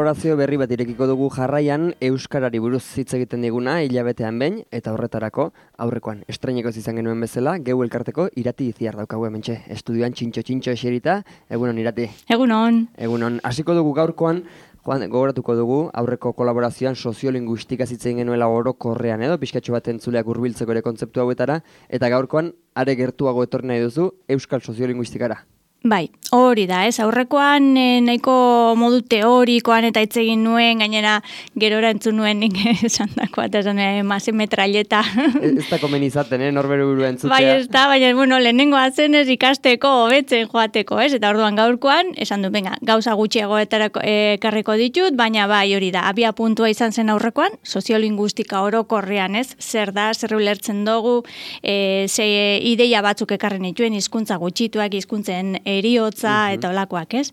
kolaborazio berri bat irekiko dugu jarraian, euskarari buruz hitz egiten diguna hilabetean behin, eta horretarako aurrekoan estrenekoz izan genuen bezala, geu elkarteko Irati Itziar daukagu hementxe, estudioan txintxo eserita. Egunon, Irati. Egunon. Hasiko dugu gaurkoan, gogoratuko dugu aurreko kolaborazioan soziolinguistika hitz egin genuela orokorrean edo pixkatxo bat entzuleak hurbiltzeko ere kontzeptu hauetara, eta gaurkoan are gertuago etorri nahi duzu euskal soziolinguistikara. Bai, hori da, aurrekoan nahiko modu teorikoan eta hitz egin nuen, gainera gerora entzun nuen nik esan dakoa, eta esan mase metralleta. Ez da komen izaten, norbere burua entzutea. Bai, ez da, baina, lehenengoa zen ez ikasteko, hobetzen joateko, eta orduan gaurkoan, esan du, venga, gauza gutxiagoetarako ekarriko ditut, baina bai, hori da, abia puntua izan zen aurrekoan, soziolinguistika orokorrean, zer da, zer ulertzen dugu, ze ideia batzuk ekarren dituen, hizkuntza gutxituak, hizkuntzen eriotza eta olakoak, ez?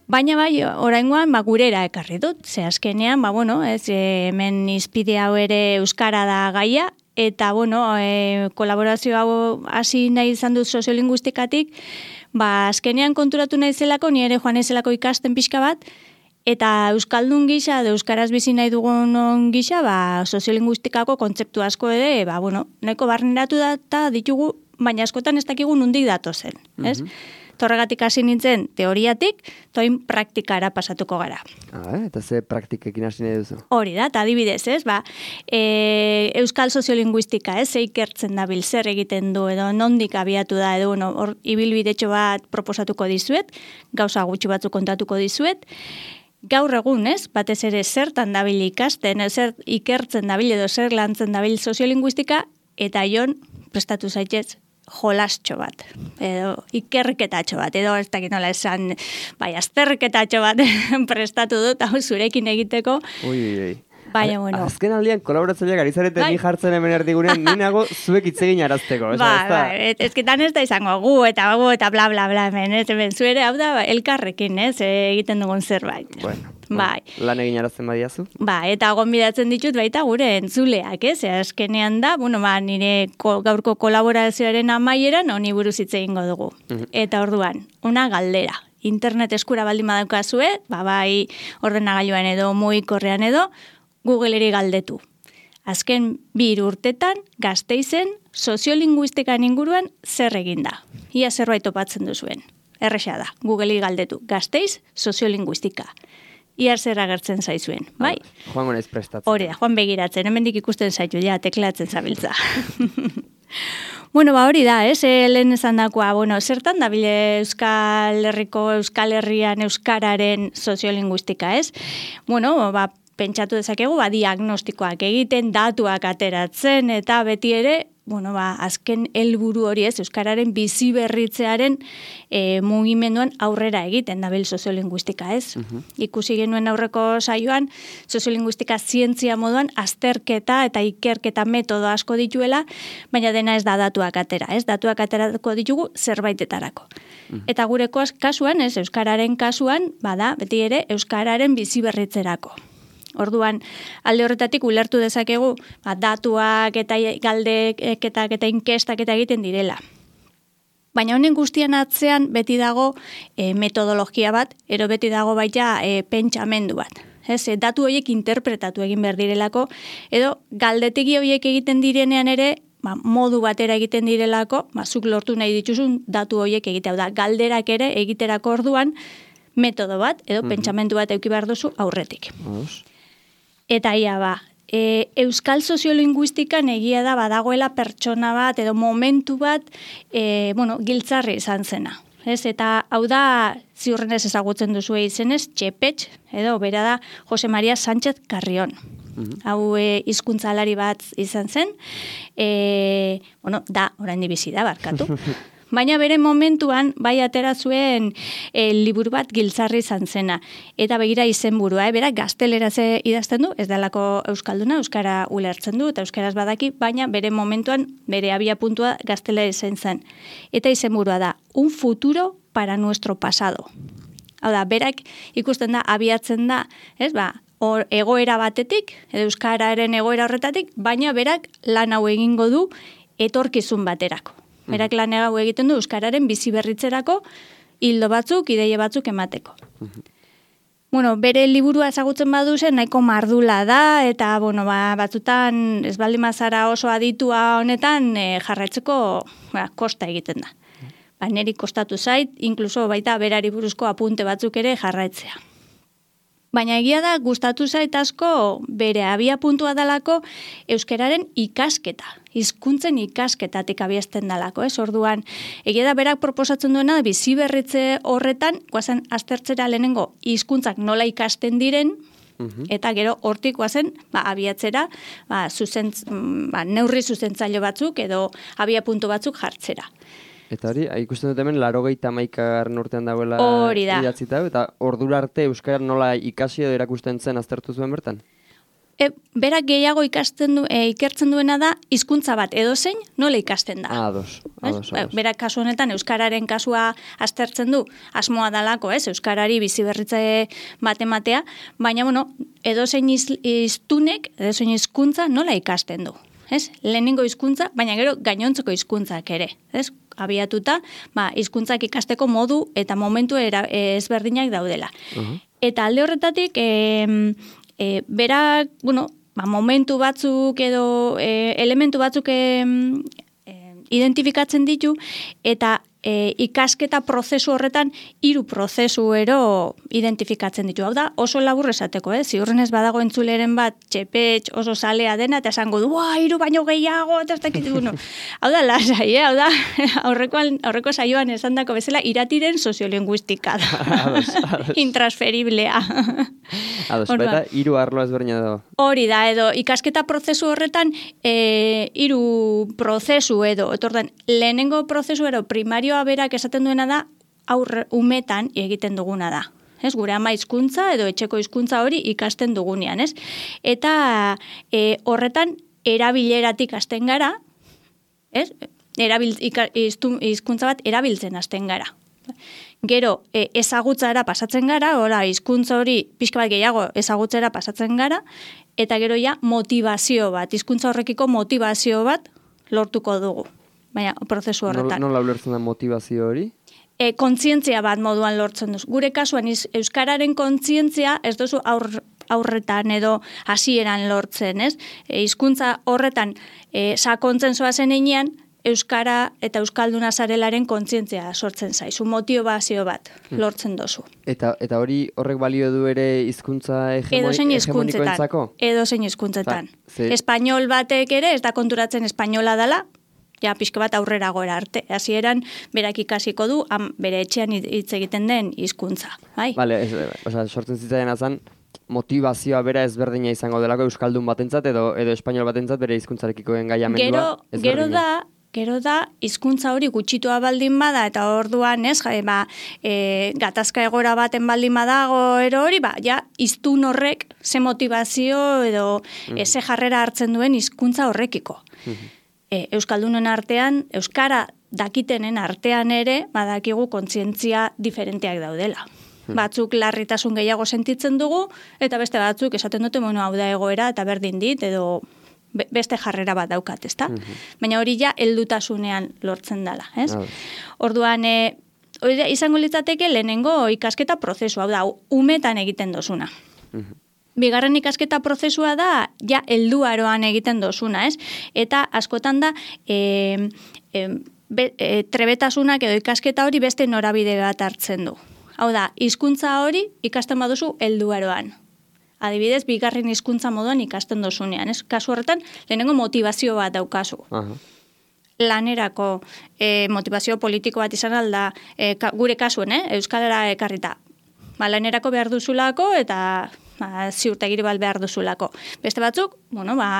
Baina bai, oraingoan gurera ekarri dut, ze azkenean, hemen izpide hau ere euskara da gaia, eta kolaborazio hau hasi nahi izan dut soziolinguistikatik, azkenean konturatu nahi zelako, ni ere joan naizelako ikasten pixka bat, eta euskaldun gisa, euskaraz bizi nahi dugun gisa, soziolinguistikako kontzeptu asko ere, nahiko barneratu da ditugu, baina askotan ez dakigu nondik datozen, ez? Torregatik hasi nintzen teoriatik, toin praktikara pasatuko gara. Eta ze praktikekin hasi nahi duzu? Hori da, eta adibidez, ez? Euskal soziolinguistika, ez? Ze ikertzen dabil, zer egiten du, edo nondik abiatu da, edo hor ibilbidetxo bat proposatuko dizuet, gauza gutxi batzuk kontatuko dizuet. Gaur egun, ez? Batez ere zertan dabil ikasten, zer ikertzen dabil, edo zer lantzen dabil soziolinguistika, eta jon prestatu zaitez jolastxo bat, edo ikerketatxo bat, edo ez dakit nola esan, azterketatxo bat prestatu dut, hau zurekin egiteko. Baina, azken aldian, kolaboratzaileak ari zarete ni jartzen hemen erdigunean, ni nago zuek hitz egin arazteko. Ezketan ez da izango gu eta bla bla bla hemen, hemen zuere, hau da, elkarrekin, egiten dugun zerbait. Lan egin arazten badiazu? Eta gonbidatzen ditut baita gure entzuleak, azkenean da, nire gaurko kolaborazioaren amaieran honi buruz hitz egingo dugu. Eta orduan, una galdera. Internet eskura baldin badaukazue, bai ordenagailuan edo mugikorrean edo, Googleri galdetu. Azken 2 urtetan Gasteizen soziolinguistikan inguruan zer egin da. Ia zerbait topatzen duzuen. Erresa da, Googleri galdetu. Gasteiz soziolinguistika. Ia zer agertzen zaizuen, bai? Joango naiz prestatzen. Hori da, joan begiratzen, hemendik ikusten zaitu, teklatzen zabiltza. Hori da, lehen esan dakoa, zertan dabile Euskal Herrian euskararen soziolinguistika, ez? Pentsatu dezakegu, diagnostikoak egiten, datuak ateratzen, eta beti ere, azken helburu hori euskararen bizi berritzearen mugimenduan aurrera egiten dabil soziolinguistika, ez? Ikusi genuen aurreko saioan, soziolinguistika zientzia moduan azterketa eta ikerketa metodo asko dituela, baina dena ez da datuak atera, ez? Datuak aterako ditugu zerbaitetarako. Eta gure kasuan, euskararen kasuan, beti ere euskararen bizi berritzerako. Orduan, alde horretatik ulertu dezakegu, datuak eta galdeketak eta inkestak eta egiten direla. Baina honen guztian atzean beti dago metodologia bat, ero beti dago baita pentsamendu bat. Datu horiek interpretatu egin behar direlako, edo galdetegi horiek egiten direnean ere, modu batera egiten direlako, zuk lortu nahi dituzun datu horiek egitea. Galderak ere egiterako orduan metodo bat, edo pentsamendu bat eduki behar duzu aurretik. Eta euskal soziolinguistikan egia da badagoela pertsona bat edo momentu bat giltzarri izan zena. Eta hau da ziurrenez ezagutzen duzu izenez, Txepetx, edo bera da Jose Maria Sánchez Carrión. Hau hizkuntzalari bat izan zen, orain bizi da, barkatu. Baina bere momentuan, bai atera zuen liburu bat giltzarri izan zena. Eta begira izenburua, bera gazteleraz idazten du, ez dalako euskalduna, euskara ulertzen du, eta euskaraz badaki, baina bere momentuan, bere abia puntua gaztelera izan zen. Eta izenburua da, un futuro para nuestro pasado. Hau da, berak ikusten da, abiatzen da, egoera batetik, euskararen egoera horretatik, baina berak lan hau egingo du etorkizun baterako. Berak lan hau egiten du euskararen bizi berritzerako hildo batzuk, ideia batzuk emateko. bere liburua ezagutzen baduzen nahiko mardula da, eta, batzutan ez baldin bazara oso aditua honetan jarraitzeko kosta egiten da. Neri kostatu zait, inkluso baita berari buruzko apunte batzuk ere jarraitzea. Baina egia da, gustatu zait asko bere abia puntua dalako euskararen ikasketa, hizkuntzen ikasketatik abiazten dalako, ez? Orduan, egia da berak proposatzen duena bizi berritze horretan, guazen aztertzera lehenengo hizkuntzak nola ikasten diren, eta gero hortik guazen abiatzera neurri zuzentzaile batzuk edo abia puntu batzuk jartzera. Eta hori, ikusten dut hemen 81. urtean dagoela idatzita, eta ordura arte euskara nola ikasi edo erakusten zen aztertu zuen bertan? Berak gehiago ikertzen duena da hizkuntza bat edozein nola ikasten da. Ados. Berak kasu honetan euskararen kasua aztertzen du, asmoa dalako, euskarari bizi berritze bat ematea, baina edozein hiztunek, edozein hizkuntza nola ikasten du. Lehenengo hizkuntza, baina gero gainontzeko hizkuntzak ere, abiatuta, hizkuntzak ikasteko modu eta momentu ezberdinak daudela. Eta alde horretatik, berak, momentu batzuk edo elementu batzuk identifikatzen ditu, eta ikasketa prozesu horretan 3 prozesu ero identifikatzen ditu. Hau da, oso labur esateko, ziurrenez badago entzuleren bat txepetx oso salea dena, eta esango du, 3 baino gehiago, eta ez dakit. Hau da, lasai, hau da, aurreko saioan esandako bezala, iratiren soziolinguistika da. Intransferiblea. Ados, baita 3 arlo ezberdina dago. Hori da, edo ikasketa prozesu horretan 3 prozesu edo, etordan, lehenengo prozesu ero primarioa berak esaten duena da umetan egiten duguna da. Gure ama hizkuntza edo etxeko hizkuntza hori ikasten dugunean, Eta horretan erabileratik hasten gara, hizkuntza bat erabiltzen hasten gara. Gero ezagutzara pasatzen gara, hizkuntza hori pixka bat gehiago ezagutzera pasatzen gara, eta gero motivazio bat, hizkuntza horrekiko motivazio bat lortuko dugu. Baina, prozesu horretan. Nola ulertzen da motivazio hori? Kontzientzia bat moduan lortzen duzu. Gure kasuan, euskararen kontzientzia ez duzu aurretan edo hasieran lortzen, hizkuntza horretan sakontzen zoazen einean, euskara eta euskalduna zarelaren kontzientzia sortzen zaizu, motivazio bat lortzen duzu. Eta hori horrek balio du ere hizkuntza hegemonikoentzako? Edozein hizkuntzetan. Espainol batek ere ez da konturatzen espainola dela, pixka bat aurrera gora arte. Hasieran berak ikasiko du, bere etxean hitz egiten den hizkuntza. Bale, sortzen zitzaidan azan, motivazioa bera ezberdina izango delako euskaldun batentzat edo espainol batentzat bere hizkuntzarekiko engaiamendua ezberdina. Gero da, hizkuntza hori gutxitua baldin bada, eta orduan, gatazka egora baten baldin badago, hori, hiztun horrek ze motivazio edo ze jarrera hartzen duen hizkuntza horrekiko. Euskaldunen artean, euskara dakitenen artean ere, badakigu kontzientzia diferenteak daudela. Batzuk larritasun gehiago sentitzen dugu, eta beste batzuk esaten dute, hau da egoera, eta berdin dit, edo beste jarrera bat daukat, ezta? Baina hori heldutasunean lortzen dela, Orduan, izango litzateke lehenengo ikasketa prozesua, hau da, umetan egiten dozuna. Bigarren ikasketa prozesua da, helduaroan egiten dozuna, Eta askotan da, trebetasunak edo ikasketa hori beste norabide bat hartzen du. Hau da, hizkuntza hori ikasten baduzu helduaroan. Adibidez, bigarren hizkuntza moduan ikasten dozunean. Kasu horretan, lehenengo motivazio bat daukazu. Lanerako motivazio politiko bat izan alda, gure kasuen, Euskalera ekarrita. Lanerako behar duzulako eta ziurtagiri bat behar duzulako. Beste batzuk,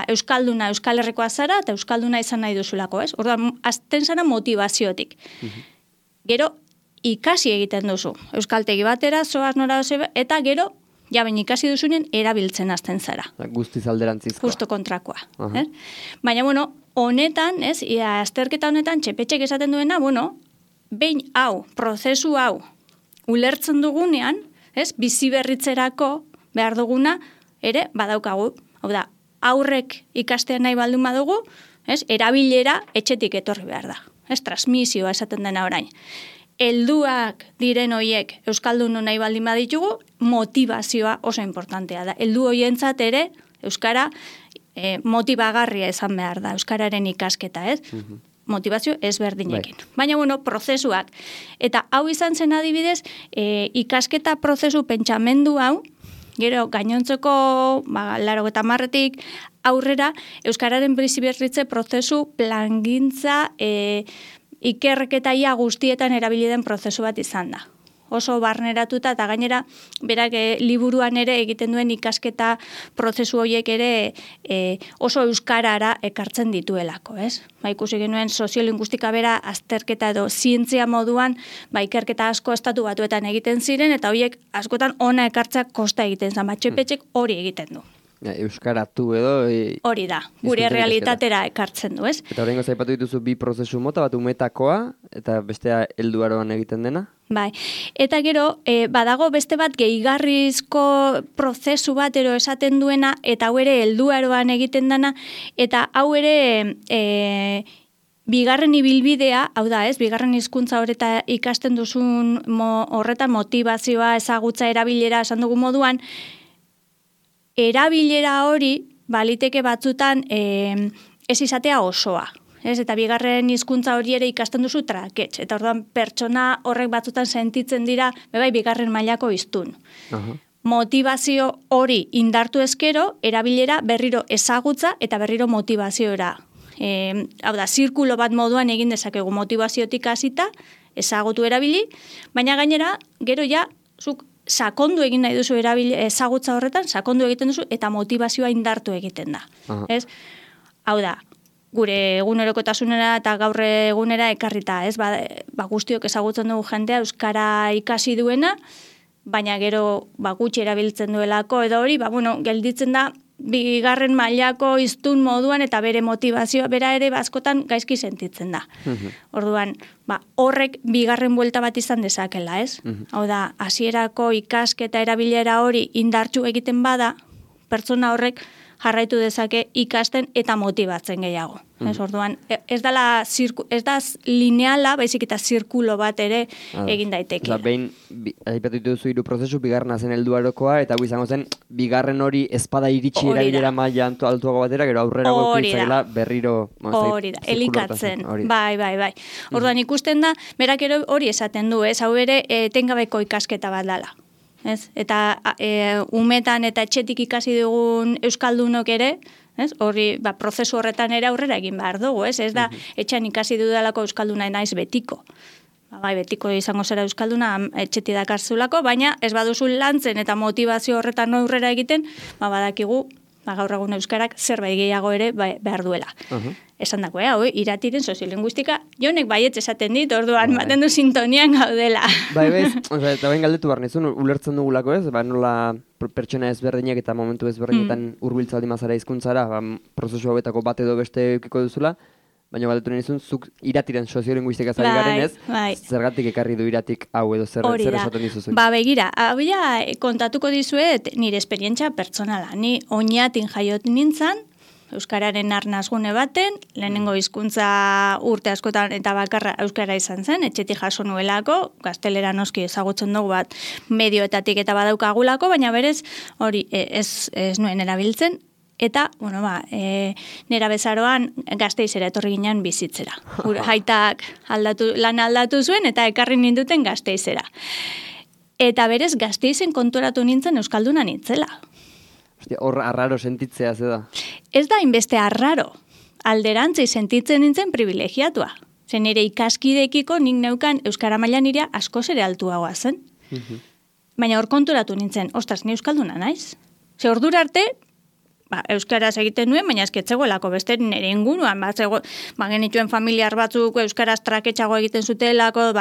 Euskalduna, Euskal Herrikoa zara eta Euskalduna izan nahi duzulako, Orduan, azten zara motivaziotik. Gero, ikasi egiten duzu. Euskaltegi batera, zoaz nora eta gero, baina ikasi duzunen erabiltzen hasten zara. Guztiz alderantzizkoa. Justo kontrakoa. Baina, honetan, azterketa honetan, txepetxek esaten duena, behin prozesu hau, ulertzen dugunean, bizi berritzerako behar duguna, ere, badaukagu. Hau da, aurrek ikastean nahi baldun badugu, erabilera etxetik etorri behar da. Transmisioa esaten dena orain. helduak diren hoiek euskaldun nahi baldin baditugu, motivazioa oso importantea da. Heldu hoientzat ere euskara motibagarria izan behar da, euskararen ikasketa, ez? Motivazio ezberdinekin. Baina, prozesuak. Eta hau izan zen adibidez, ikasketa prozesu pentsamendu hau, gero gainontzeko, 80etik aurrera, euskararen biziberritze prozesu plangintza ikerketa ia guztietan erabili den prozesu bat izan da. Oso barneratuta eta gainera berak liburuan ere egiten duen ikasketa prozesu horiek ere oso euskarara ekartzen dituelako, ez? Ikusi genuen soziolinguistika bera azterketa edo zientzia moduan ikerketa asko estatu batuetan egiten ziren eta horiek askotan ona ekartzak kosta egiten zen, txepetxek hori egiten du. Euskaratu edo... Hori da, gure realitatera ekartzen du, ez? Eta horrengo zaipatu dituzu bi prozesu mota, bat umetakoa, eta bestea helduaroan egiten dena? Bai, eta gero, badago beste bat gehigarrizko prozesu bat ero esaten duena, eta hau ere helduaroan egiten dena, eta hau ere bigarren ibilbidea, hau da ez, bigarren hizkuntza horreta ikasten duzun horretan motivazioa, ezagutza, erabilera, esan dugu moduan, erabilera hori baliteke batzutan ez izatea osoa. Ez, eta bigarren hizkuntza hori ere ikasten duzu trakets. Eta orduan pertsona horrek batzutan sentitzen dira, bigarren mailako hiztun. Motivazio hori indartu ezkero, erabilera berriro ezagutza eta berriro motivaziora. Hau da, zirkulo bat moduan egin dezakegu motivaziotik hasita, ezagutu erabili, baina gainera, gero ja, zuk sakondu egin nahi duzu ezagutza horretan, sakondu egiten duzu eta motivazioa indartu egiten da. Ez? Hau da, gure egunerokotasunera eta gaur egunera ekarrita, ez? Guztiok ezagutzen dugu jendea euskara ikasi duena, baina gero gutxi erabiltzen duelako edo hori, gelditzen da bigarren mailako hiztun moduan eta bere motivazioa bera ere askotan gaizki sentitzen da. Orduan, horrek bigarren buelta bat izan dezakela, ez? Hau da, hasierako ikasketa erabilera hori indartsu egiten bada, pertsona horrek jarraitu dezake ikasten eta motibatzen gehiago. Orduan, ez da lineala, baizik eta zirkulo bat ere egin daiteke. Behin, aipatu duzu 3 prozesu, bigarrena zen helduarokoa, eta izango zen, bigarren hori ezpada iritsi erabilera maila altuago batera, gero aurrera gokitzakela berriro... Hori da, elikatzen. Bai. Orduan, ikusten da, berak hori esaten du, ez, hau ere, etengabeko ikasketa bat dala. Ez? Eta umetan eta etxetik ikasi dugun euskaldunok ere, ez? Hori, prozesu horretan ere aurrera egin behar dugu, ez? Ez da, etxean ikasi dudalako euskalduna naiz betiko. Betiko izango zera euskalduna etxeti dakarzulako, baina ez baduzu lantzen eta motivazio horretan aurrera egiten, badakigu, gaur egun euskarak zerbait gehiago ere behar duela. Esan dako, iratiren soziolinguistika, jonek baietz esaten dit, orduan, baten du sintonian gaudela. Eta bain galdetu behar nizun, ulertzen dugulako ez, nola pertsona ezberdinak eta momentu ezberdinetan hurbiltza baldin mazara hizkuntzara, prozesu hauetako bat edo beste eukiko duzula, baina galdetu nizun, zuk iratiren soziolinguistika zari garen ez, zergatik ekarri du iratik hau edo zer esaten dizuzun. Begira, hau kontatuko dizuet nire esperientzia pertsonala. Ni oinatin jaiot nintzen, euskararen arnazgune baten, lehenengo hizkuntza urte askotan eta bakarra euskara izan zen, etxetik jaso nuelako, gaztelera noski ezagutzen dugu bat medioetatik eta badaukagulako, baina berez hori ez nuen erabiltzen, eta, nera bezaroan Gasteizera etorri ginen bizitzera. Haitak lan aldatu zuen eta ekarri ninduten Gasteizera. Eta berez Gasteizen konturatu nintzen euskalduna nintzela. Hor arraro sentitzea ze da? Ez da inbeste arraro. Alderantzi sentitzen nintzen privilegiatua. Zen nire ikaskidekiko nik neukan euskara maila nirea askoz ere altuagoa zen. Baina hor konturatu nintzen, ostras, ni euskalduna naiz. Ze ordura arte, euskaraz egiten nuen, baina esketzegoelako beste nire inguruan, genituen familiar batzuk euskaraz traketxago egiten zutelako,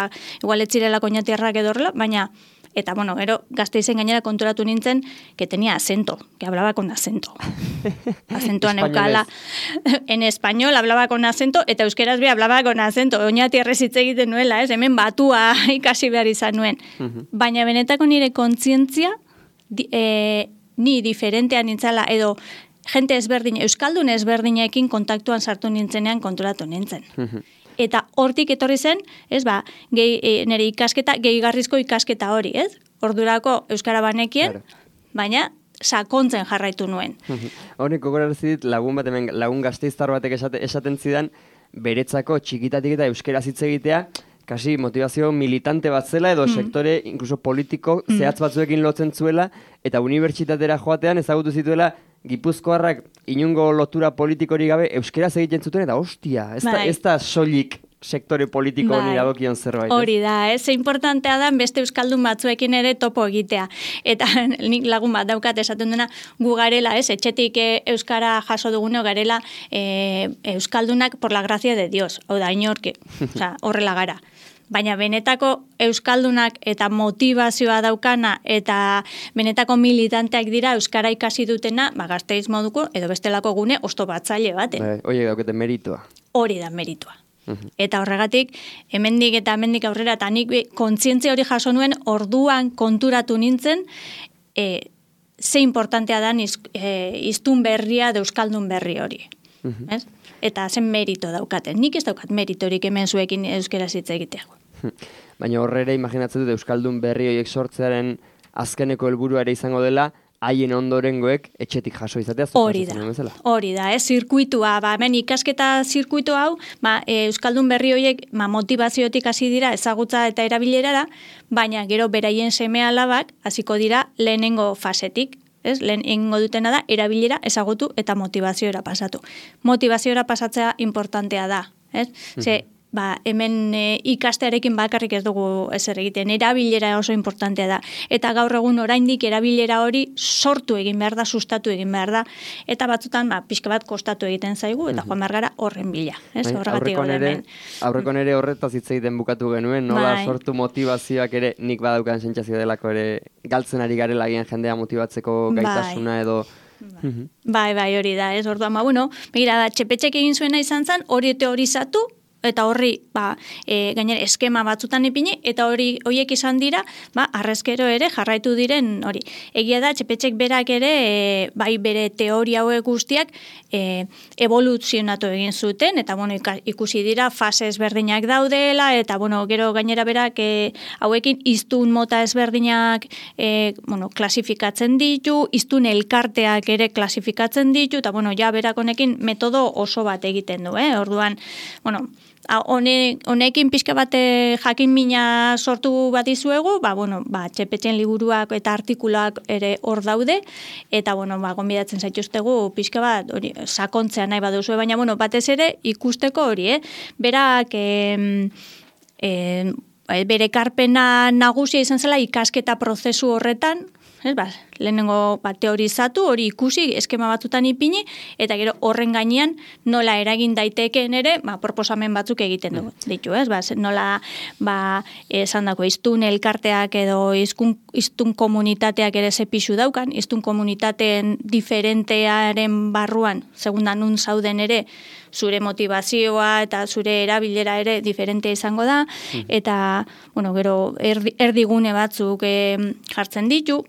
igual etzirelako oinatiarrak edorla, baina, eta gero Gasteizen gainera konturatu nintzen, que tenía acento, que hablaba con acento. Acentua neukala. En español hablaba con acento, eta euskeraz be hablaba con acento. Oinatiarrez hitz egiten nuela, ez? Hemen batua ikasi behar izan nuen. Baina benetako nire kontzientzia, ni diferentean nintzala, edo jente ezberdin, euskaldun ezberdinekin kontaktuan sartu nintzenean konturatu nintzen. eta hortik etorri zen, ez, nire ikasketa, gehigarrizko ikasketa hori, ez? Ordurako euskara banekien, baina sakontzen jarraitu nuen. Honek gogorarazi dit lagun gasteiztar batek esaten zidan beretzako txikitatik eta euskara hitz egitea kasi motivazio militante bat zela edo sektore incluso politiko zehatz batzuekin lotzen zuela eta unibertsitatera joatean ezagutu zituela Gipuzkoarrak inungo lotura politikorik gabe euskaraz egiten zuten eta hostia, ez da soilik sektore politiko honi dagokion zerbait. Hori da, ze importantea da beste euskaldun batzuekin ere topo egitea. Eta nik lagun bat daukat esaten dena gu garela, etxetik euskara jaso duguneo garela euskaldunak por la gracia de Dios. Hau da, inorke, horrela gara. Baina benetako euskaldunak eta motivazioa daukana eta benetako militanteak dira euskara ikasi dutena, Gasteiz moduko edo bestelako gune oztopatzaile bat. Horiek daukete meritua. Hori da meritua. Eta horregatik, hemendik aurrera, eta nik kontzientzia hori jaso nuen, orduan konturatu nintzen, ze importantea da hiztun berria da euskaldun berri hori. Eta zen merito daukaten. Nik ez daukat meritorik hemen zuekin euskera hitz egitea. Baina horre ere imaginatzen dut euskaldun berri horiek sortzearen azkeneko helburua ere izango dela, haien ondorengoek etxetik jaso izatea. Hori da, zirkuitua, hemen ikasketa zirkuitu hau, euskaldun berri horiek motivaziotik hasi dira ezagutza eta erabilerara, baina gero beraien seme-alabak hasiko dira lehenengo fasetik. Lehen egingo dutena da, erabilera ezagutu eta motivaziora pasatu. Motivaziora pasatzea importantea da. Hemen ikastearekin bakarrik ez dugu ezer egiten, erabilera oso importantea da. Eta gaur egun oraindik erabilera hori sortu egin behar da, sustatu egin behar da, eta batzutan pixka bat kostatu egiten zaigu, eta joan behar gara horren bila. Aurrekon ere horretaz hitz egiten bukatu genuen, nola sortu motivazioak ere nik badaukan sentsazio delako ere galtzen ari garela gian jendea motibatzeko gaitasuna edo... Bai, hori da, orduan, begira da, txepetxek egin zuena izan zen, hori teorizatu, eta horri, gainera, eskema batzutan ipini, eta horiek izan dira, arrezkero ere jarraitu diren hori. Egia da, txepetxek berak ere, bere teoria hauek guztiak, evoluzionatu egin zuten, eta, ikusi dira, fase ezberdinak daudela, eta, gero gainera berak, hauekin hiztun mota ezberdinak, klasifikatzen ditu, hiztun elkarteak ere klasifikatzen ditu, eta, ja, berak honekin metodo oso bat egiten du, orduan, honekin pixka bat jakin mina sortu bat izuegu, txepetxen liburuak eta artikuluak ere hor daude, eta, gonbidatzen zaituztegu pixka bat, sakontzea nahi baduzu, baina, batez ere ikusteko hori, berak, bere ekarpena nagusia izan zela ikasketa prozesu horretan, lehenengo teorizatu, hori ikusi, eskema batzutan ipini, eta gero horren gainean nola eragin daitekeen ere, proposamen batzuk egiten ditu, nola, esan dako, hiztun elkarteak edo hiztun komunitateak ere zepixu daukan, hiztun komunitateen diferentearen barruan, segundan nun zauden ere, zure motivazioa eta zure erabilera ere diferente izango da, eta, gero, erdigune batzuk jartzen ditu,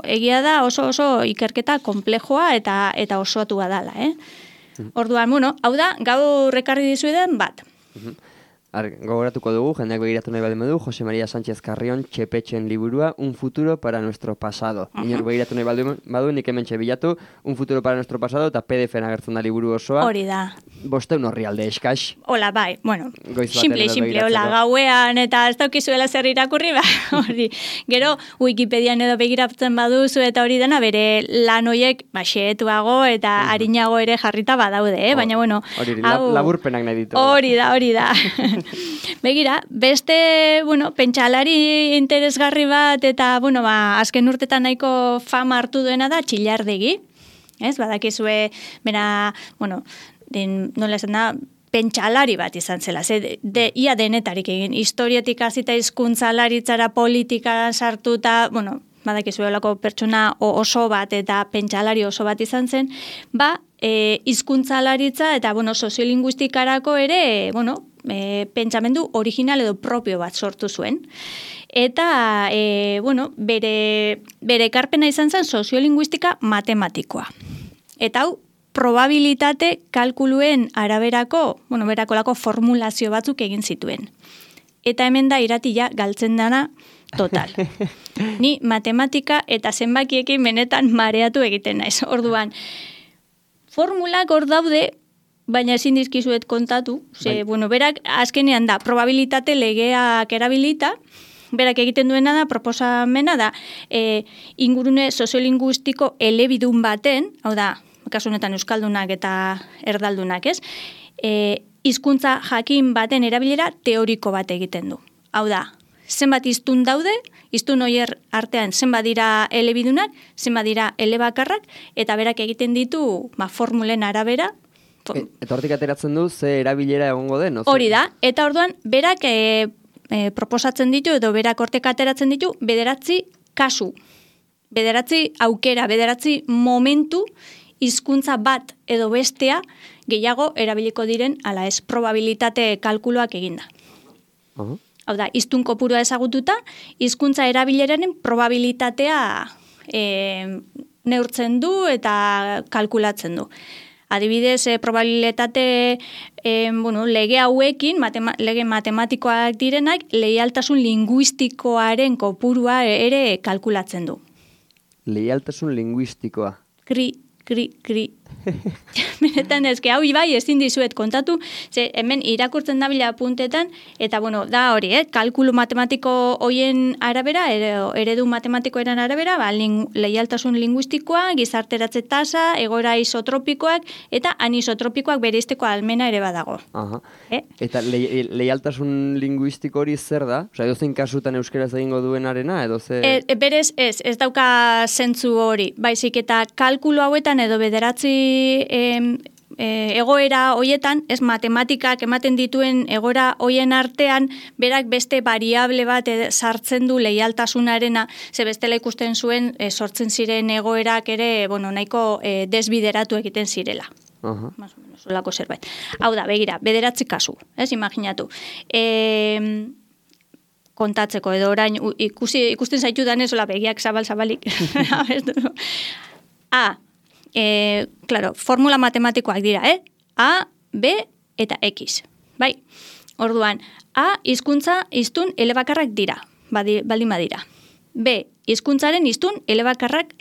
egia da oso ikerketa komplejoa eta osoatua dala, Orduan, hau da, gaur ekarri dizueden bat. Gogoratuko dugu, jendeak begiratu nahi baldin badu, Jose María Sánchez Carrión, Txepetxen liburua, Un futuro para nuestro pasado. Inork begiratu nahi baldin badu, nik hemen bilatu, Un futuro para nuestro pasado, eta PDF-en agertzen da liburu osoa. Hori da. 500 orrialde eskax. Hola, bai, simple, hola, gauean, eta ez daukizuela zer irakurri, hori. Gero, Wikipedian edo begiratzen baduzu, eta hori dena, bere lan hoiek, xeetuago, eta harinago ere jarrita badaude, baina, hori, laburpenak nahi ditu. Hori da. Begira, beste, pentsalari interesgarri bat, eta, azken urtetan nahiko fama hartu duena da Txillardegi. Badakizue, bera, nola esan da, pentsalari bat izan zela, ia denetarik egin, historiatik hasita hizkuntzalaritzara politika sartuta, badakizuelako pertsona oso bat eta pentsalari oso bat izan zen, hizkuntzalaritza eta, soziolinguistikarako ere, pentsamendu original edo propio bat sortu zuen. Eta, bere ekarpena izan zen soziolinguistika matematikoa. Eta hau, probabilitate kalkuluen araberako, berakolako formulazio batzuk egin zituen. Eta hemen da iratia galtzen dana total. Ni matematika eta zenbakiekin benetan mareatu egiten naiz. Orduan, formulak hor daude, baina ezin dizkizuet kontatu. Berak azkenean da, probabilitate legeak erabilita, berak egiten duena da, proposamena da, ingurune soziolinguistiko elebidun baten, hau da, kasu honetan euskaldunak eta erdaldunak, ez? Hizkuntza jakin baten erabilera teoriko bat egiten du. Hau da, zenbat hiztun daude, hiztun hoier artean zenbat dira elebidunak, zenbat dira elebakarrak, eta berak egiten ditu formulen arabera. Eta hortik ateratzen du, ze erabilera egongo den? Hori da, eta orduan, berak proposatzen ditu, edo berak hortek ateratzen ditu, 9 kasu, 9 aukera, 9 momentu, hizkuntza bat edo bestea gehiago erabiliko diren, ala ez, probabilitate kalkuloak eginda. Hau da, hiztun kopurua ezagututa, hizkuntza erabileraren probabilitatea neurtzen du eta kalkulatzen du. Adibidez, probabilitate lege hauekin, lege matematikoak direnak, leialtasun linguistikoaren kopurua ere kalkulatzen du. Leialtasun linguistikoa. Kri. Benetan ezke, hau bai ezin dizuet kontatu, ze hemen irakurtzen dabila puntetan, eta da hori, kalkulu matematiko hoien arabera, eredu matematikoaren arabera, leialtasun linguistikoa, gizarteratze tasa, egoera isotropikoak, eta anisotropikoak bereizteko almena ere badago. Eta leialtasun linguistiko hori zer da? Osa, edozein kasutan euskeraz egingo duenarena, edo ze... Berez ez dauka zentzu hori, baizik eta kalkulu hauetan edo 9 egoera hoietan, ez matematikak ematen dituen egoera hoien artean, berak beste variable bat sartzen du leialtasunarena, ze bestela ikusten zuen sortzen ziren egoerak ere, nahiko desbideratu egiten zirela. Más o menos, olako zerbait. Hau da, begira, 9 kasu, ez, imaginatu. Kontatzeko, edo orain, ikusten zaitu danez, begiak zabalik. Claro, formula matematikoak dira, A, B eta X. Bai, orduan, A, hiztun elebakarrak dira, baldin badira. B, hizkuntzaren hiztun elebakarrak,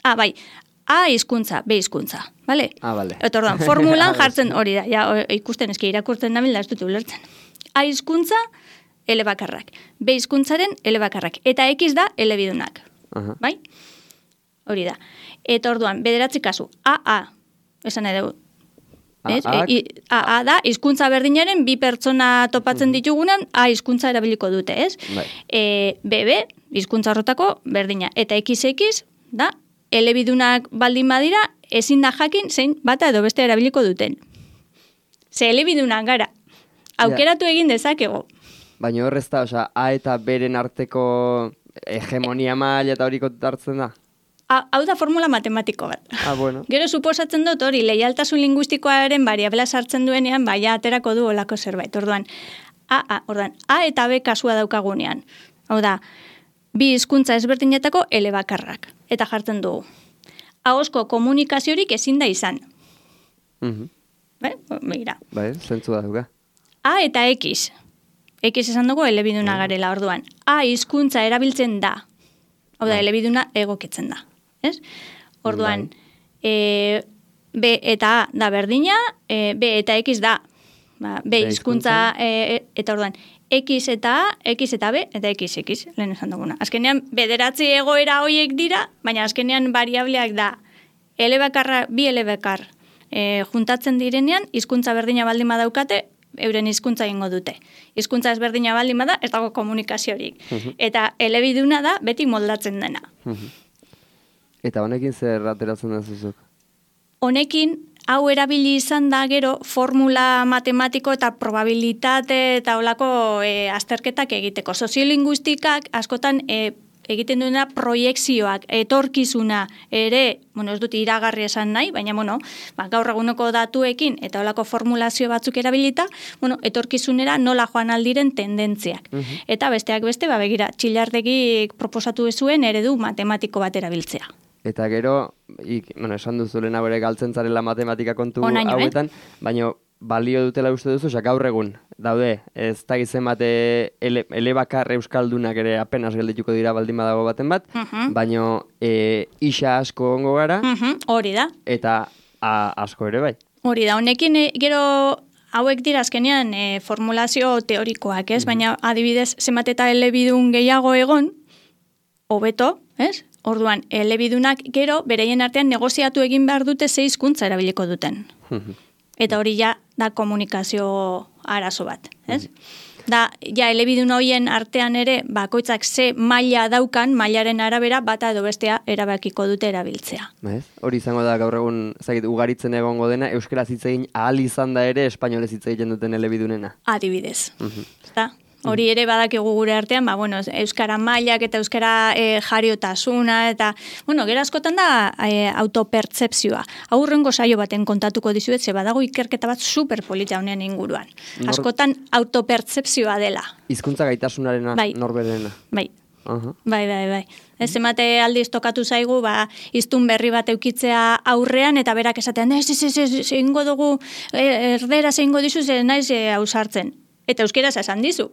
A hizkuntza, B hizkuntza, bale? Bale. Eta orduan, formulan jartzen hori da, ikusten eski irakurtzen da ez dut ulertzen. A hizkuntza elebakarrak, B hizkuntzaren elebakarrak, eta X da elebidunak, bai? Hori da. Eta orduan, 9 kasu, AA, esan edo, AA da, hizkuntza berdinaren 2 pertsona topatzen ditugunan, A hizkuntza erabiliko dute, ez? BB, hizkuntza horretako berdina, eta XX da, elebidunak baldin badira, ezin da jakin zein bata edo beste erabiliko duten. Ze elebidunak gara, aukeratu egin dezakego. Baina horrez da, A eta beren arteko hegemonia maila eta hori kontartzen da? Hau da formula matematiko bat. Bueno. Gero suposatzen dut hori, leialtasun linguistikoaren variabela sartzen duenean, aterako du olako zerbait. Orduan, A eta B kasua daukagunean. Hau da, 2 hizkuntza ezberdinetako elebakarrak. Eta jartzen dugu. Ahozko komunikaziorik ezin da izan. Begira. Zentzu da duga. A eta X. X esan dugu elebiduna garela, orduan. A hizkuntza erabiltzen da. Hau da, elebiduna egokitzen da. Ez? Orduan, B eta A da berdina, B eta X da. B hizkuntza, eta orduan, X eta A, X eta B, eta XX, lehen esan duguna. Azkenean, 9 egoera hoiek dira, baina azkenean variableak da, bi elebakar juntatzen direnean, hizkuntza berdina baldin badaukate, euren hizkuntza egingo dute. Hizkuntza ezberdina baldin bada, ez dago komunikaziorik. Eta elebiduna da, beti moldatzen dena. Eta honekin zer ateratzen da zuzuk? Honekin, hau erabili izan da gero formula matematiko eta probabilitate eta olako azterketak egiteko. Soziolinguistikak askotan egiten duena proiekzioak, etorkizuna ere, ez dut iragarri esan nahi, baina gaur eguneko datuekin eta olako formulazio batzuk erabilita, etorkizunera nola joan aldiren tendentziak. Eta besteak beste, begira, Txillardegik proposatu zuen eredu matematiko bat erabiltzea. Eta gero, esan duzu lehenago ere galtzen zarela matematika kontu Onaino, hauetan, baina balio dutela uste duzu, gaur egun, daude, ez da gizien bate elebakar euskaldunak ere apenas geldituko dira baldin badago baten bat, baina isa asko ongo gara, hori da. Eta asko ere bai. Hori da, honekin gero hauek dira azkenean formulazio teorikoak, ez? Baina adibidez, zenbat eta elebidun gehiago egon, hobeto, ez? Orduan, elebidunak gero, bereien artean negoziatu egin behar dute ze hizkuntza erabiliko duten. Eta hori ja da komunikazio arazo bat, ez? Da, ja, elebidun horien artean ere, bakoitzak ze maila daukan, mailaren arabera, bata edo bestea erabakiko dute erabiltzea. Hori izango da gaur egun, ugaritzen egongo dena, euskaraz hitz egin ahal izan da ere, espainolez hitz egiten duten elebidunena. Adibidez. Hori ere badakigu gure artean, euskara mailak eta euskara jariotasuna, eta, gero askotan da autopertzepzioa. Aurrengo saio baten kontatuko dizuet, ze badago ikerketa bat superpolita honen inguruan. Askotan autopertzepzioa dela. Hizkuntza gaitasunarena, norberena. Bai. Bai. Ez emate aldiz tokatu zaigu, hiztun berri bat eukitzea aurrean, eta berak esatean, zeingo dugu, erderaz zeingo dizu, naiz ausartzen. Eta euskeraz esan dizu.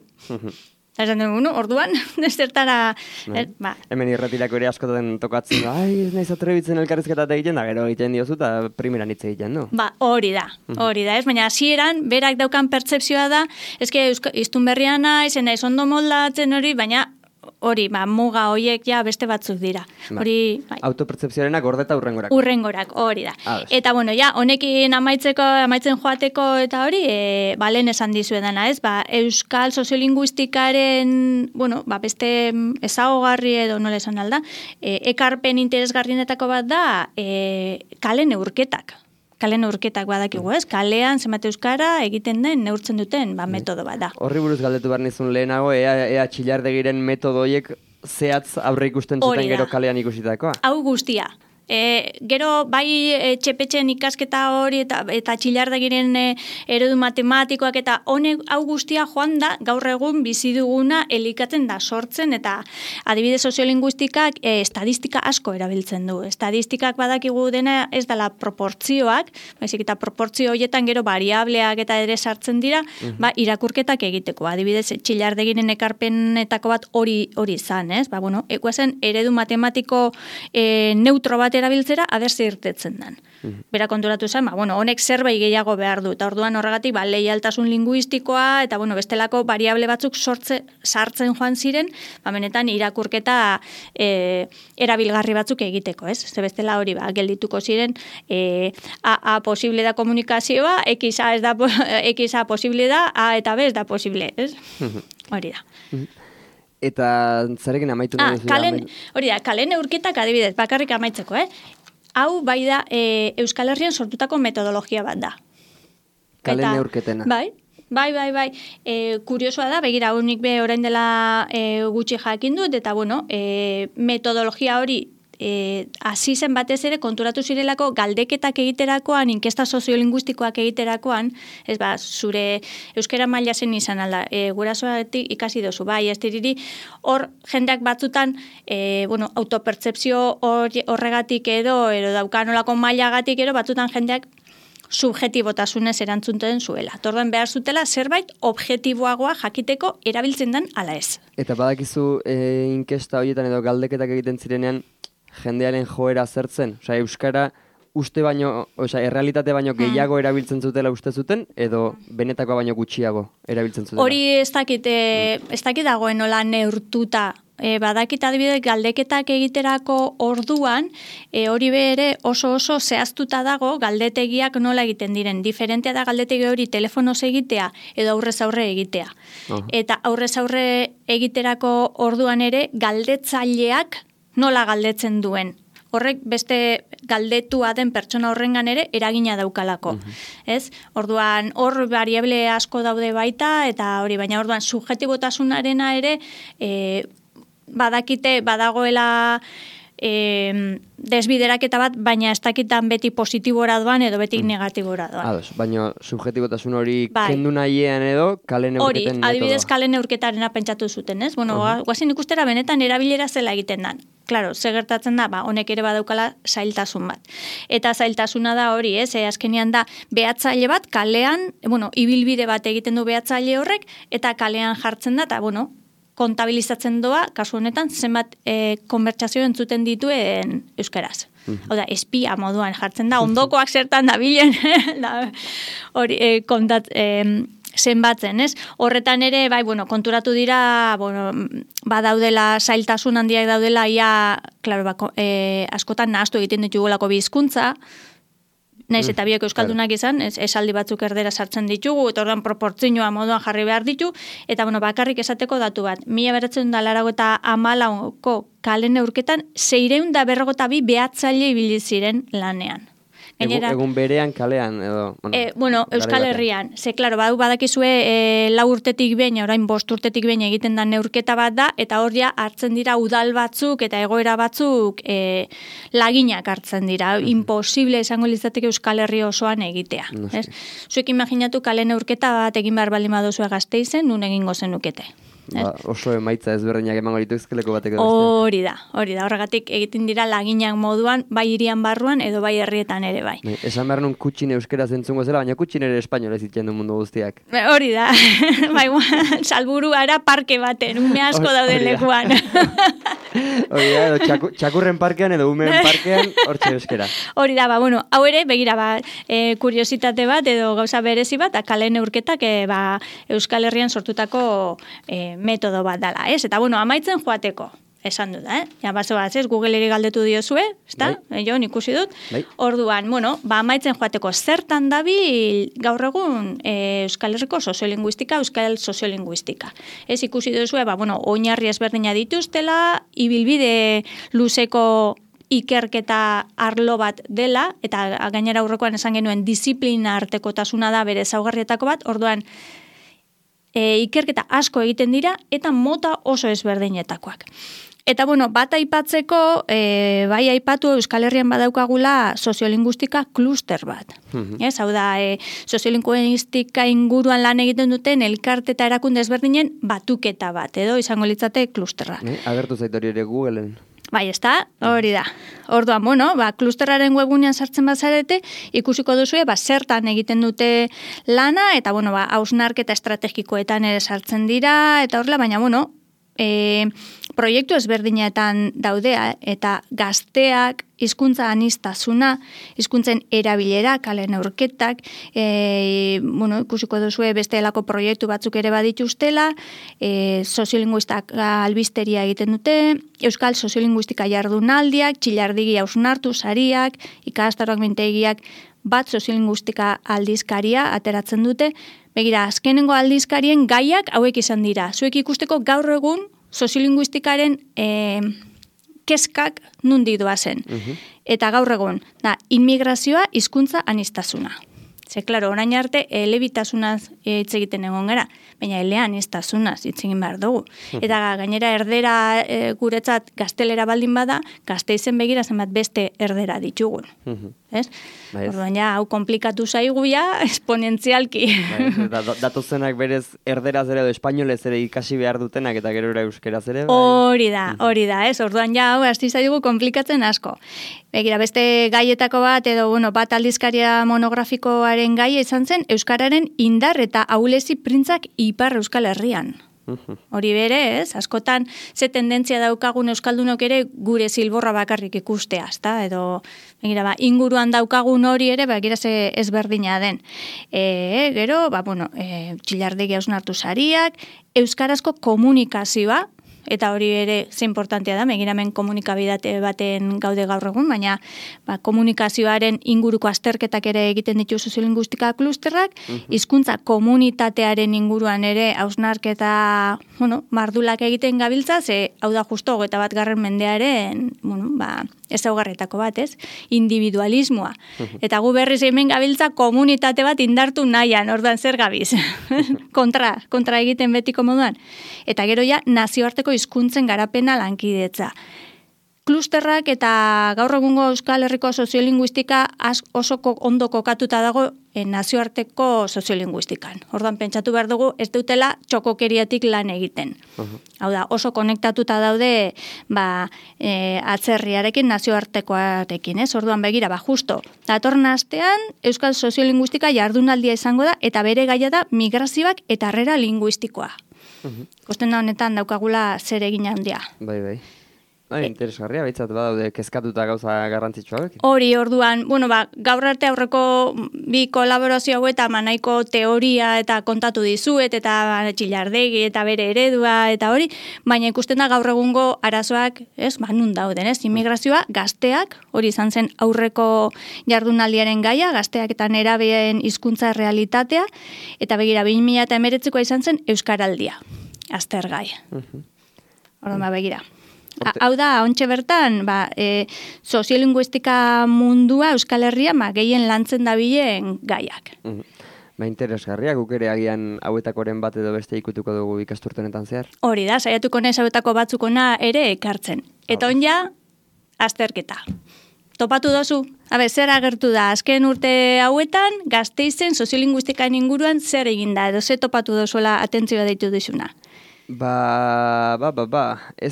Esan dugu, orduan, zertara... Hemen irretirako ere askotan tokatzen da, ez naiz atrebitzen elkarrizketat egiten da, gero egiten diozu, eta primeran hitz egiten du. Hori da, ez? Baina hasieran berak daukan pertsepzioa da, ezke hiztun berria naiz ondo moldatzen hori, baina hori, muga horiek ja beste batzuk dira. Autopertzepzioarenak gordeta urrengorak. Urrengorak, hori da. Eta, honekin amaitzen joateko eta hori, lehen esan dizuedana, ez? Euskal soziolinguistikaren, beste ezagogarri edo nola esan alda, ekarpen interesgarrienetako bat da, kale neurketak. Kale neurketak badakigu, ez? Kalean zenbat euskara egiten den, neurtzen duten, metodo bat da. Horri buruz galdetu behar nizun lehenago, ea txillardegiren metodo horiek zehatz aurre ikusten zuten gero kalean ikusitakoa? Hau guztia. Gero bai txepetxen ikasketa hori eta txillardagiren eredu matematikoak eta honek hau guztia joan da gaur egun bizi duguna elikatzen da sortzen eta adibidez soziolinguistikak estadistika asko erabiltzen du. Estadistikak badakigu dena ez dela proportzioak, baizik eta proportzio horietan gero variableak eta ere sartzen dira, irakurketak egiteko. Adibidez txillardagiren ekarpenetako bat hori izan, ez? Ekuazen eredu matematiko neutro bat erabiltzera abertze irtetzen den. Bera konturatu zen, honek zerbait gehiago behar du, eta orduan horregatik leialtasun linguistikoa, eta bestelako variable batzuk sartzen joan ziren, benetan irakurketa erabilgarri batzuk egiteko, ez? Ze bestela hori geldituko ziren, A posible da komunikazioa, X A posible da, A eta B ez da posible, ez? Hori da. Eta zarekin amaitu nahi duzu? Hori da, kale neurketak adibidez, bakarrik amaitzeko, Hau bai da Euskal Herrian sortutako metodologia bat da. Kale neurketena. Bai. Kuriosoa da, begira, honik orain dela gutxi jakin dut, eta metodologia hori hasi zen batez ere konturatu zirelako galdeketak egiterakoan, inkesta soziolinguistikoak egiterakoan, zure euskara maila zen izan alda, gurasoatik ikasi dozu, ez diriri, hor jendeak batzutan, autopertzepzio horregatik edo daukanolako mailagatik edo batzutan jendeak subjetibotasunez erantzunten zuela. Torduan behar zutela zerbait objektiboagoa jakiteko erabiltzen den ala ez. Eta badakizu inkesta horietan edo galdeketak egiten zirenean jendearen joera zertzen? Euskara uste baino, errealitate baino gehiago erabiltzen zutela uste zuten, edo benetakoa baino gutxiago erabiltzen zutela? Hori ez dakit dagoen nola neurtuta. Badakit adibidez galdeketak egiterako orduan, hori ere oso zehaztuta dago galdetegiak nola egiten diren. Diferentea da galdetegi hori telefonoz egitea edo aurrez aurre egitea. Eta aurrez aurre egiterako orduan ere galdetzaileak nola galdetzen duen. Horrek beste galdetua den pertsona horrengan ere eragina daukalako. Ez? Orduan hor variable asko daude baita eta hori, baina orduan subjetibotasunarena ere badakite badagoela desbideraketa bat, baina ez dakitan beti positibora doan edo beti negatibora doan. Ados, baina subjetibotasun hori kendu nahiean edo kale neurketen metodoa. Hori, adibidez kale neurketarena pentsatu zuten, ez? Bueno, guazin ikustera benetan erabilera zela egiten dan. Claro, ze gertatzen da, honek ere badaukala zailtasun bat. Eta zailtasuna da hori, ez? Azkenean da behatzaile bat kalean, ibilbide bat egiten du behatzaile horrek, eta kalean jartzen da, eta, kontabilizatzen doa, kasu honetan, zenbat konbertsazio entzuten dituen euskaraz. Hau da, espia moduan jartzen da, ondokoak zertan dabilen, hori zenbatzen, ez? Horretan ere, konturatu dira, badaudela zailtasun handiak daudela, askotan nahastu egiten ditugulako bi hizkuntza, naiz eta biek euskaldunak izan, esaldi batzuk erdera sartzen ditugu, eta orduan proportzioa moduan jarri behar ditu, eta bakarrik esateko datu bat, 1984ko kale neurketan 642 behatzaile ibili ziren lanean. Egun berean kalean edo... Euskal Herrian. Ze, klaro, badakizue 4 urtetik behin, orain 5 urtetik behin egiten da neurketa bat da, eta hor hartzen dira udal batzuk eta egoera batzuk laginak hartzen dira. Imposible esango litzateke Euskal Herri osoan egitea. Zuek imaginatu kale neurketa bat egin behar baldin baduzue Gasteizen, nun egingo zenukete. Oso emaitza ezberdinak emango lituzkeleko bateko beste. Hori da, horregatik egiten dira laginak moduan, bai hirian barruan edo bai herrietan ere bai. Esan behar nun kutxin euskaraz entzungo zela, baina kutxin ere espainol ez ditzen du mundu guztiak. Hori da, salburuara parke baten, ume asko dauden lekuan. Hori da, edo txakurren parkean edo umeen parkean, hortxe euskera. Hori da, hau ere, begira, kuriositate bat edo gauza berezi bat, kale neurketak Euskal Herrian sortutako metodo bat dala, ez? Eta, amaitzen joateko, esan dut, Ja, ez, Google-eri galdetu diozue, ezta? Jo, ikusi dut. Orduan, amaitzen joateko, zertan dabil gaur egun Euskal Herriko soziolinguistika, Euskal soziolinguistika. Ez ikusi duzue, oinarri ezberdina dituztela, ibilbide luzeko ikerketa arlo bat dela, eta gainera aurrekoan esan genuen disiplina artekotasuna da bere ezaugarrietako bat, orduan, ikerketa asko egiten dira eta mota oso ezberdinetakoak. Eta bat aipatzeko, bai aipatu Euskal Herrian badaukagula soziolinguistika kluster bat. Hau da, soziolinguistika inguruan lan egiten duten elkarte eta erakunde ezberdinen batuketa bat, edo izango litzate klusterrak. Agertu zait hori ere Googleen. Bai, ezta, hori da. Orduan, klusterraren webunean sartzen bazarete, ikusiko duzue, zertan egiten dute lana, eta, hausnarketa estrategikoetan ere sartzen dira, eta horrela, baina, proiektu ezberdinetan daudea, eta gazteak, hizkuntza aniztasuna, hizkuntzen erabilera, kale neurketak, ikusiko duzue beste helako proiektu batzuk ere badituztela, soziolinguistak albisteria egiten dute, Euskal soziolinguistika jardunaldiak, txillardigi hausnartu sariak, ikastaroak mintegiak, bat soziolinguistika aldizkaria ateratzen dute. Begira, azkenengo aldizkarien gaiak hauek izan dira. Zuek ikusteko gaur egun soziolinguistikaren keskak nundi doazen. Eta gaur egun, inmigrazioa, hizkuntza aniztasuna. Ze, klaro, orain arte, elebitasunaz hitz egiten egon gara, baina eleaniztasunaz hitz egin behar dugu. Eta gainera erdera guretzat gaztelera baldin bada, Gasteizen begira zenbat beste erdera ditugun. Ez? Orduan hau komplikatu zaigu esponentzialki. Datozenak berez erderaz ere edo espainolez ere ikasi behar dutenak eta gero euskeraz ere. Hori da, ez? Orduan hau hasti zaigu komplikatzen asko. Begira, beste gaietako bat edo bat aldizkaria monografikoaren gaia izan zen euskararen indar eta ahulezi printzak Ipar Euskal Herrian. Hori bere, ez? Askotan ze tendentzia daukagun euskaldunok ere gure zilborra bakarrik ikustea, ezta? Edo begira, inguruan daukagun hori ere, begira ze ezberdina den. Gero, txillardegi hausnartu sariak, euskarazko komunikazioa, eta hori ere ze importantea da, begiramen komunikabidate baten gaude gaur egun, baina komunikazioaren inguruko azterketak ere egiten ditu soziolinguistika klusterrak, hizkuntza komunitatearen inguruan ere hausnarketa, mardulak egiten gabiltza, ze hau da justo 21. mendearen, ezaugarrietako bat, ez? Individualismoa. Eta gu berriz hemen gabiltza komunitate bat indartu nahian, orduan zer gabiz. kontra egiten betiko moduan. Eta gero nazioarteko hizkuntzen garapena lankidetza. klusterrak eta gaur egungo Euskal Herriko soziolinguistika oso ondo kokatuta dago nazioarteko soziolinguistikan. Orduan pentsatu behar dugu ez dutela txokokeriatik lan egiten. Hau da, oso konektatuta daude atzerriarekin, nazioartekoarekin, ez? Orduan begira, justo, datorren astean Euskal soziolinguistika jardunaldia izango da eta bere gaia da migrazioak eta harrera linguistikoa. Kosten da honetan daukagula zer egin handia. Bai. Interesgarria, baitzat badaude kezkatuta gauza garrantzitsuak. Hori, orduan, gaur arte aurreko bi kolaborazio hauetan nahiko teoria eta kontatu dizuet, eta Txillardegi eta bere eredua eta hori, baina ikusten da gaur egungo arazoak, nun dauden, immigrazioa, gazteak, hori izan zen aurreko jardunaldiaren gaia, gazteak eta nerabeen hizkuntza realitatea, eta begira, 2019koa izan zen Euskaraldia, aztergai. Orduan, begira. Hau da, ontxe bertan, soziolinguistika mundua Euskal Herria gehien lantzen dabilen gaiak. Interesgarria, guk ere agian hauetakoren bat edo beste ikutuko dugu ikasturtenetan zehar. Hori da, saiatuko nez hauetako batzukona ere ekartzen. Eta onja, azterketa. Topatu dozu? Zer agertu da, azken urte hauetan, Gasteizen soziolinguistikan inguruan zer egin da, edo ze topatu dozuela atentzioa deitu dizuna. Ez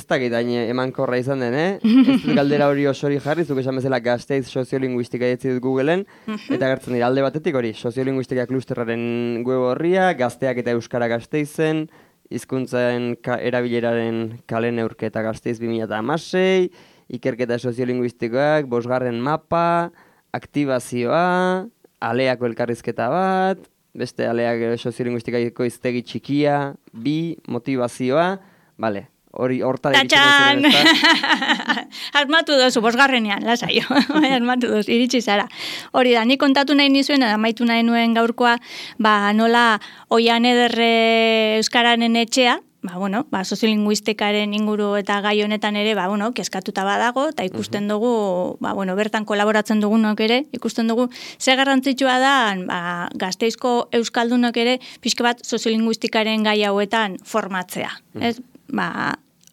da gitain emankorra izan den, Ez dut galdera hori osori jarri, zuk esan bezala Gasteiz soziolinguistika etzi dut Googleen, eta gertzen dira alde batetik hori, soziolinguistika klusterraren web horria, gazteak eta euskara Gasteizen, hizkuntzen erabileraren kale neurketa Gasteiz 2016, ikerketa soziolinguistikoak, 5. mapa, aktibazioa, aleako elkarrizketa bat, beste aleak soziolinguistikaiko hiztegi txikia, 2, motivazioa, hori hortara iritsi dozu. Asmatu dozu, 5. lasai, asmatu dozu, iritsi zara. Hori da, ni kontatu nahi nizuen, amaitu nahi nuen gaurkoa, nola Oian Ederre Euskararen etxea, soziolinguistikaren inguru eta gai honetan ere, kezkatuta badago, eta ikusten dugu, bertan kolaboratzen dugunok ere, ikusten dugu, ze garrantzitsua da, Gasteizko euskaldunok ere, pixka bat soziolinguistikaren gai hauetan formatzea.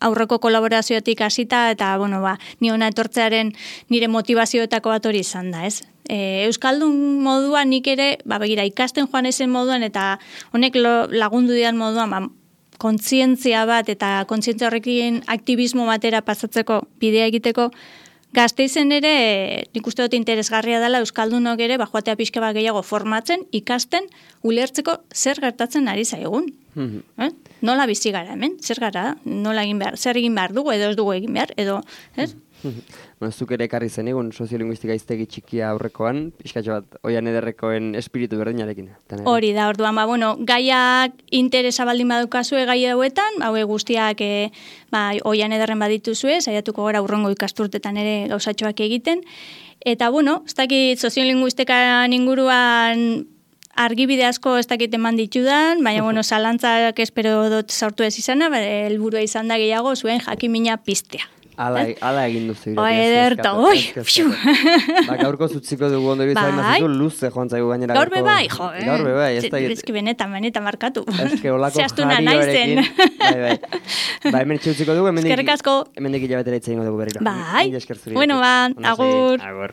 Aurreko kolaboraziotik hasita, eta, ni hona etortzearen nire motivazioetako bat hori izan da, ez? Euskaldun moduan nik ere, begira, ikasten joan ezen moduan, eta honek lagundu dian moduan, kontzientzia bat eta kontzientzia horrekin aktivismo batera pasatzeko bidea egiteko, Gasteizen ere, nik uste dut interesgarria dela Euskaldunok ere, joatea pixka bat gehiago formatzen, ikasten, ulertzeko zer gertatzen ari zaigun. Nola bizi gara hemen, zer gara, nola egin behar, zer egin behar dugu, edo ez dugu egin behar, edo, ez? Zuk ere ekarri zen egun soziolinguistika hiztegi txikia aurrekoan, pixkatxo bat, Oian Ederrekoen espiritu berdinarekin. Hori da, orduan, gaiak interesa baldin badukazue gai hauetan, guztiak Oian Ederren badituzue, saiatuko gara urrengo ikasturtetan ere gauzatxoak egiten, eta, ez dakit soziolinguistikan inguruan argibide asko ez dakit eman ditudan, baina, zalantzak espero dut sortu ez izana, helburua izan da gehiago zuen jakimina piztea. Ala egin duzu. Ederto, oi! Gaurko zutziko dugu ondo izan, mazizu luze joan zaigu gainera. Gaur bebai, jo. Gaur bebai. Ezki benetan markatu. Ezki olako jarioarekin. Hemen txutziko dugu, hemendik hilabetera itzaingo dugu berriro. Bai. Bueno, agur. Agur.